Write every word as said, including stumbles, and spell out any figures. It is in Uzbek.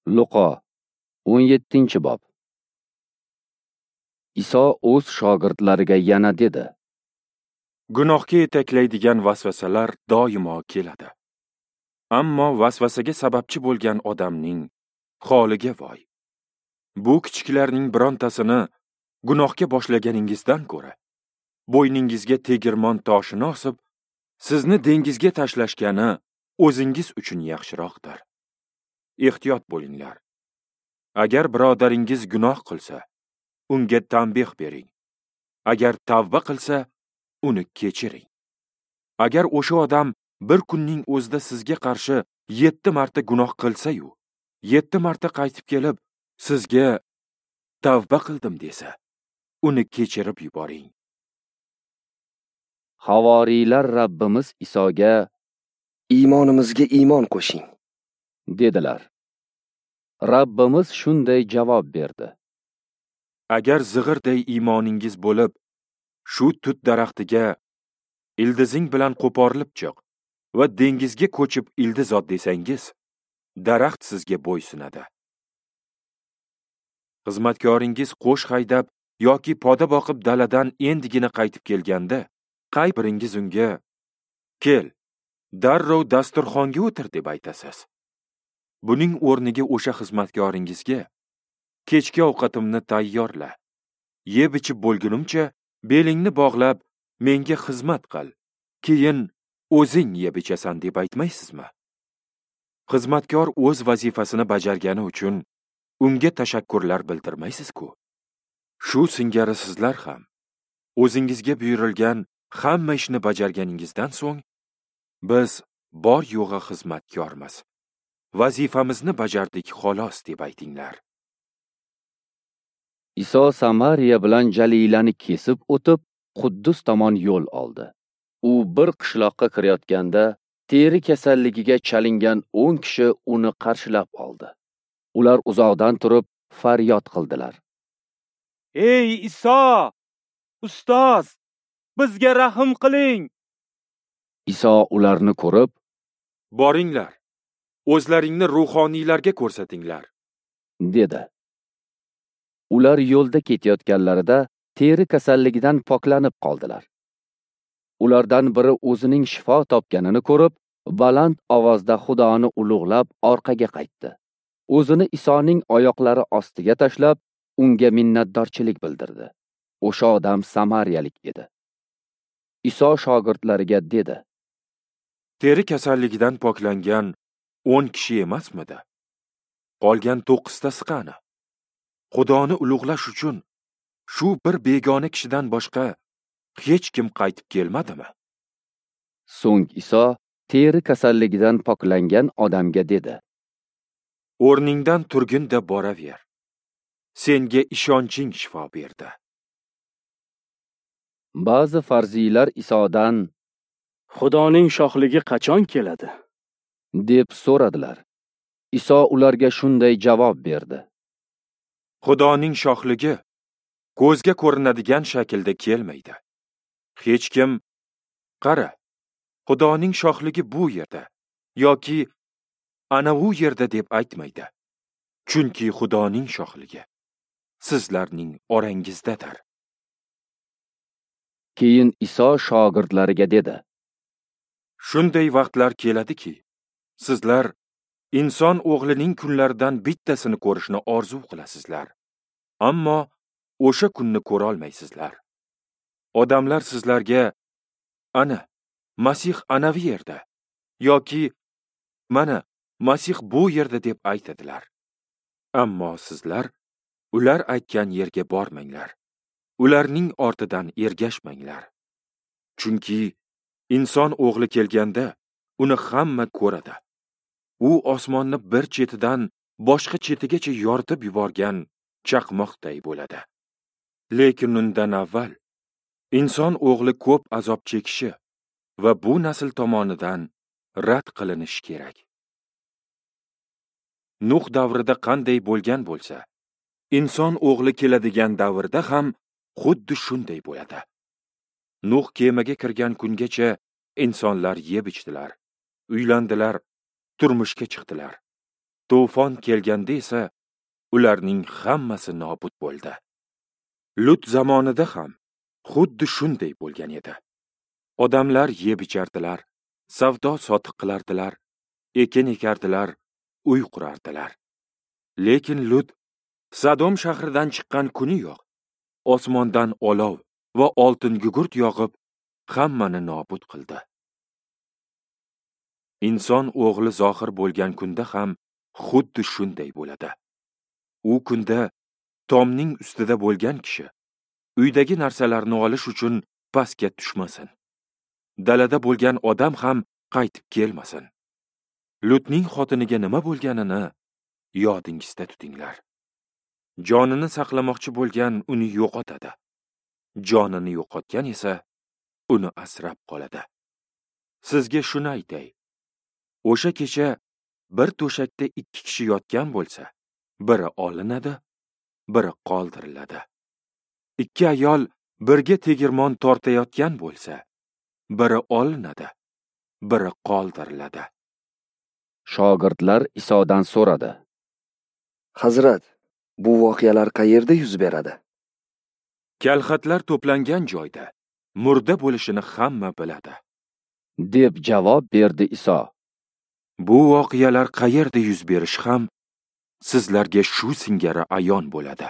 Luqo o'n yettinchi bob. Iso o'z shogirdlariga yana dedi: Gunohga yetaklaydigan vasvasalar doimo keladi. Ammo vasvasaga sababchi bo'lgan odamning holiga voy. Bu kichiklarning birontasini gunohga boshlaganingizdan ko'ra, bo'yningizga tegirmon toshini osib, sizni dengizga tashlashgani o'zingiz uchun yaxshiroqdir. Ehtiyot bo'linglar. Agar birodaringiz gunoh qilsa, unga tanbeh bering. Agar tavba qilsa, uni kechiring. Agar o'sha odam bir kunning o'zida sizga qarshi yetti marta gunoh qilsa-yu, yetti marta qaytib kelib, sizga tavba qildim desa, uni kechirib yuboring. Havoriylar Rabbimiz Isoga: "Iymonimizga iymon qo'shing", dedilar. Rabbimiz shunday javob berdi: Agar zig'irday iymoningiz bo'lib, shu tut daraxtiga ildizing bilan qo'porilib chiq va dengizga ko'chib ildiz ot desangiz, daraxt sizga bo'ysunadi. Xizmatkoringiz qo'sh haydab yoki poda boqib daladan endigina qaytib kelganda, qay biringiz unga: "Kel, darrov dasturxonga o'tir" deb aytasiz? Buning o'rniga o'sha xizmatkoringizga: "Kechki ovqatimni tayyorla, yeb ichib bo'lgunimcha belingni bog'lab menga xizmat qil, keyin o'zing yeb ichasan" deb aytmaysizmi? Xizmatkor o'z vazifasini bajargani uchun unga tashakkurlar bildirmaysiz-ku. Shu singari sizlar ham o'zingizga buyurilgan hamma ishni bajarganingizdan so'ng, biz bor yo'g'i xizmatkormiz, vazifamizni bajardik xolos deb aytinglar. Iso Samariya bilan Jalilani kesib o'tib, Quddus tomon yo'l oldi. U bir qishloqqa kirayotganda, teri kasalligiga chalingan o'n kishi uni qarshilab oldi. Ular uzoqdan turib faryod qildilar: "Ey Iso, ustoz, bizga rahm qiling!" Iso ularni ko'rib: "Boringlar, o'zlaringni ruhoniylarga ko'rsatinglar", dedi. Ular yo'lda ketayotganlarida teri kasalligidan poklanib qoldilar. Ulardan biri o'zining shifo topganini ko'rib, baland ovozda Xudoni ulug'lab orqaga qaytdi. O'zini Isoning oyoqlari ostiga tashlab, unga minnatdorchilik bildirdi. O'sha odam samariyalik edi. Iso shogirdlariga dedi: Teri kasalligidan poklangan o'n kishi emasmidi? Qolgan to'qqiztasi qani? Xudoni ulug'lash uchun shu bir begona kishidan boshqa hech kim qaytib kelmadimi? So'ng Iso teri kasalligidan poklangan odamga dedi: O'rningdan turgin da boraver. Senga ishonching shifo berdi. Ba'zi farziylar Isodan: Xudoning shohligi qachon keladi? deb so'radilar. Iso ularga shunday javob berdi: Xudoning shohligi ko'zga ko'rinadigan shaklda kelmaydi. Hech kim: "Qara, Xudoning shohligi bu yerda" yoki "ana u yerda" deb aytmaydi. Chunki Xudoning shohligi sizlarning orangizdadir. Keyin Iso shogirdlariga dedi: Shunday vaqtlar keladiki, sizlar inson o'g'lining kunlaridan bittasini ko'rishni orzu qilasizlar, ammo o'sha kunni ko'ra olmaysizlar. Odamlar sizlarga: "Ana, Masih anavi yerda" yoki "Mana, Masih bu yerda" deb aytadilar. Ammo sizlar ular aytgan yerga bormanglar. Ularning ortidan ergashmanglar. Chunki inson o'g'li kelganda uni hamma ko'radi. U osmonni bir chetidan boshqa chetigacha yoritib yuborgan chaqmoqday bo'ladi. Lekin undan avval inson o'g'li ko'p azob chekishi va bu nasl tomonidan rad qilinishi kerak. Nuh davrida qanday bo'lgan bo'lsa, inson o'g'li keladigan davrda ham xuddi shunday bo'ladi. Nuh kemaga kirgan kungacha insonlar yeb ichdilar, uylandilar, turmushga chiqdilar. To'fon kelganda esa ularning hammasi nobud bo'ldi. Lut zamonida ham xuddi shunday bo'lgan edi. Odamlar yeb ichardilar, savdo sotiq qilardilar, ekin ekardilar, uy qurardilar. Lekin Lut Sodom shahridan chiqqan kuni yo'q, osmondan olov va oltin gugurt yog'ib, hammani nobud qildi. Inson o'g'li zohir bo'lgan kunda ham xuddi shunday bo'ladi. U kunda tomning ustida bo'lgan kishi uydagi narsalarni olish uchun pastga tushmasin. Dalada bo'lgan odam ham qaytib kelmasin. Lutning xotiniga nima bo'lganini yodingizda tutinglar. Jonini saqlamoqchi bo'lgan uni yo'qotadi. Jonini yo'qotgan esa uni asrab qoladi. Sizga shuni aytay. O'sha kecha bir to'shakda ikki kishi yotgan bo'lsa, biri olinadi, biri qoldiriladi. Ikki ayol birga tegirmon tortayotgan bo'lsa, biri olinadi, biri qoldiriladi. Shogirdlar Isodan so'radi: Hazrat, bu voqealar qayerda yuz beradi? Kalxatlar to'plangan joyda murda bo'lishini hamma biladi, deb javob berdi Iso. Bu voqealar qayerda yuz berishi ham sizlarga shu singari ayon bo'ladi.